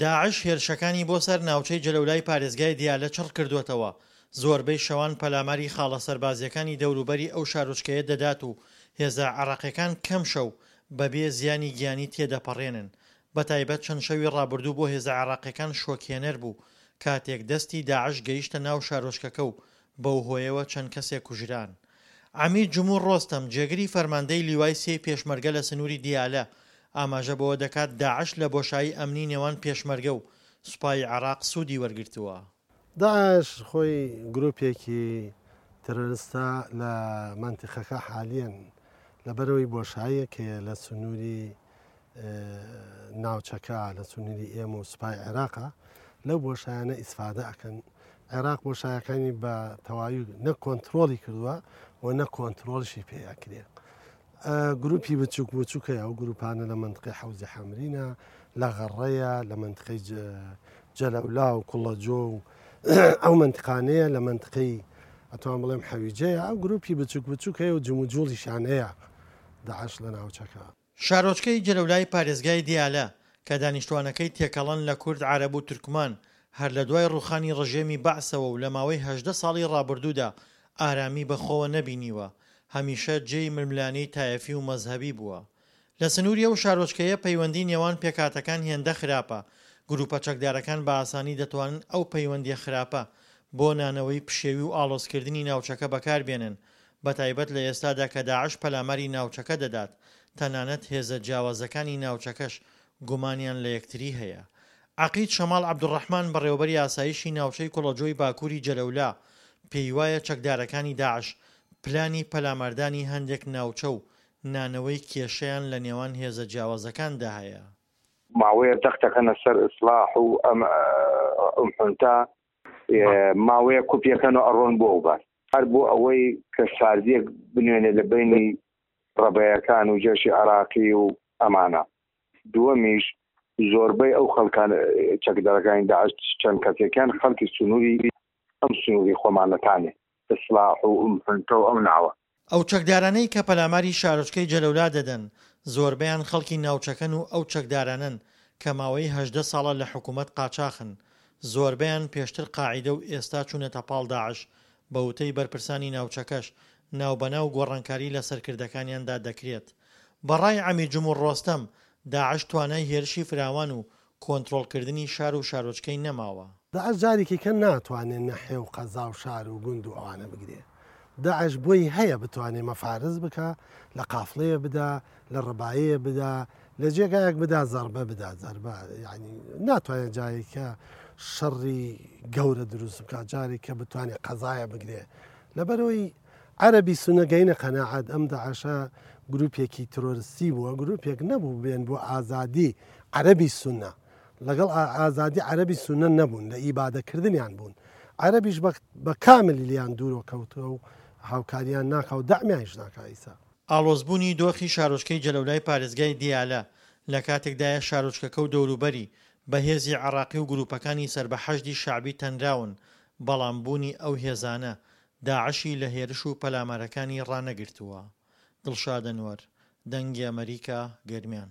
داعش هێرشەکانی بۆ سەر ناوچەی جەلەولای پارێزگای دیالە چڕ کردووەتەوە، زۆربەی شەوان پەلاماری خاڵە سەربازییەکانی دەوروبەری ئەو شارۆچکەیە دەدات و هێزە عێراقییەکان کەم شەو بەبێ زیانی گیانی تێدەپەڕێنن، بەتایبەت چەند شەوی ڕابردوو بۆ هێزە عێراقییەکان شۆکهێنەر بوو کاتێک دەستی داعش گەیشتە ناو شارۆچکەکە و بەو هۆیەوە چەند کەسێک کوژران. عەمید جمهور ڕۆستەم، جێگری فەرماندەی لیوای سێی پێشمەرگە لە سنووری دیالە، ئاماژە بەوە دەکات داعش لە بۆشایی ئەمنی نێوان پێشمەرگە و سوپای عێراق سوودی وەرگرتووە. داعش خۆی گروپێکی ترۆرستە لە مەنتیقەکە حالیەن لەبەرئەوەی بۆشاییەک هەیە لە سنووری ناوچەکە لە سنووری ئێمە و سوپای عێراقا لەو بۆشایانە ئیسفادە ئەکەن عێراق بۆشایەکانی بە تەواوی نە کۆنتترۆلی کردووە و نە کۆنتترۆلشی پێ ئەکرێ گروپی بچووک بچووکەیە ئەو گروپانە لە منطقی حەوزی حەمرینە لە غەڕەیە لە منطقی جەلەولا و کوڵەجۆ و ئەو منطقانەیە لە منطقی ئەتوان بڵێم حەویجەیە ئەو گروپی بچووک بچووک هەیە و جموجوڵیشان هەیە داعش لە ناوچەکە. شارۆچکەی جەلەولای پارێزگای دیالە، کە دانیشتوانەکەی تێکەڵەن لە کورد، عەرەب و تورکمان، هەر لە دوای ڕووخانی ڕژێمی بەعسەوە و لە ماوەی 18 ساڵی ڕابردوودا ئارامی بە خۆوە نەبینیوە، هەمیشە جێی ململانێی تایەفی و مەزهەبی بووە. لە سنووری ئەو شارۆچکەیە پەیوەندی نێوان پێکهاتەکان هێندە خراپە، گرووپە چەکدارەکان بە ئاسانی دەتوانن ئەو پەیوەندییە خراپە بۆ نانەوەی پشێوی و ئاڵۆزکردنی ناوچەکە بەکاربێنن، بەتایبەت لە ئێستادا کە داعش پەلاماری ناوچەکە دەدات، تەنانەت هێزە جیاوازەکانی ناوچەکەش گومانیان لە یەکتری هەیە. عەقید شەماڵ عەبدولڕەحمان بەڕێوەبەری ئاسایشی ناوچەی کوڵەجۆی باکووری جەلەولا پێیوایە چەکدارەکانی داعش پلانی پەلاماردانی هەندێک ناوچە و نانەوەی کێشەیان لە نێوان هێزە جیاوازەکاندا هەیە. ماوەیە زەختەکەنە سەر ئیسڵاح و ئەم ئوم حونتا ماوەیە کوپیەکەن و ئەڕۆن بۆ ئەو بار هەر بۆ ئەوەی کە ساردیەک بنوێنێ لە بینی ڕەبەیەکان و جێشی عراقی و ئەمانە دووەمیش زۆربەی ئەو خەڵکان چەکدارەکانی داعش چەند کەسێکیان خەڵکی سنووری ئەم سنووری خۆمانەتانێ ئیسلاح و ئوم حنتە و ئەو ناوە. ئەو چەکدارانەی کە پەلاماری شارۆچکەی جەلەولا دەدەن، زۆربەیان خەڵکی ناوچەکەن و ئەو چەکدارانەن کە ماوەی 18 ساڵە لە حکومەت قاچاخن، زۆربەیان پێشتر قاعیدە و ئێستا چوونەتە پاڵ داعش، بە وتەی بەرپرسانی ناوچەکەش ناوبەناو گۆڕانکاری لە سەرکردەکانیاندا دەکرێت. بە ڕای عەمید جمهور ڕۆستەم، داعش توانای هێرشی فراوان و کۆنترۆڵکردنی شار و شارۆچکەی نەماوە. داعش جارێکی کە ناتوانێ نەحێ و قەزا و شار و گوند و ئەوانە بگرێ. داعش بۆی هەیە بتوانێ مەفارز بکا، لە قافڵەیە بدا، لە ڕبایەیە بدا، لە جێگایەک بدا زەڕبە بدا، زەربە یانی ناتوانێ جارێک کە شەڕی گەورە دروست بکا، جارێک کە بتوانێ قەزایە بگرێ. لەبەرئەوەی عەرەبی سونە گەینە قەناعەت ئەم داعشە گروپێکی ترۆرستی بووە گروپێک نەبوو بێن بۆ ئازادی عەرەبی سونە لەگەڵ ئازادی عەرەبی سونە نەبوون لە ئیبادەکردنیان بوون عەرەبیش بە کامل لیان دوورۆ کەوتووە و هاوکاریان ناکا و دەعمیانیش ناکا ئیسا. ئاڵۆزبوونی دۆخی شارۆچکەی جەلەولای پارێزگای دیالە لە کاتێکدایە شارۆچکەکە و دەوروبەری بە هێزی عێراقی و گرووپەکانی سەر بە حەشدی شەعبی تەنراون، بەڵام بوونی ئەو هێزانە داعشی لە هێرش و پەلامارەکانی ڕانەگرتووە. دڵشاد ئەنوەر، دەنگی ئەمەریکا، گەرمیان.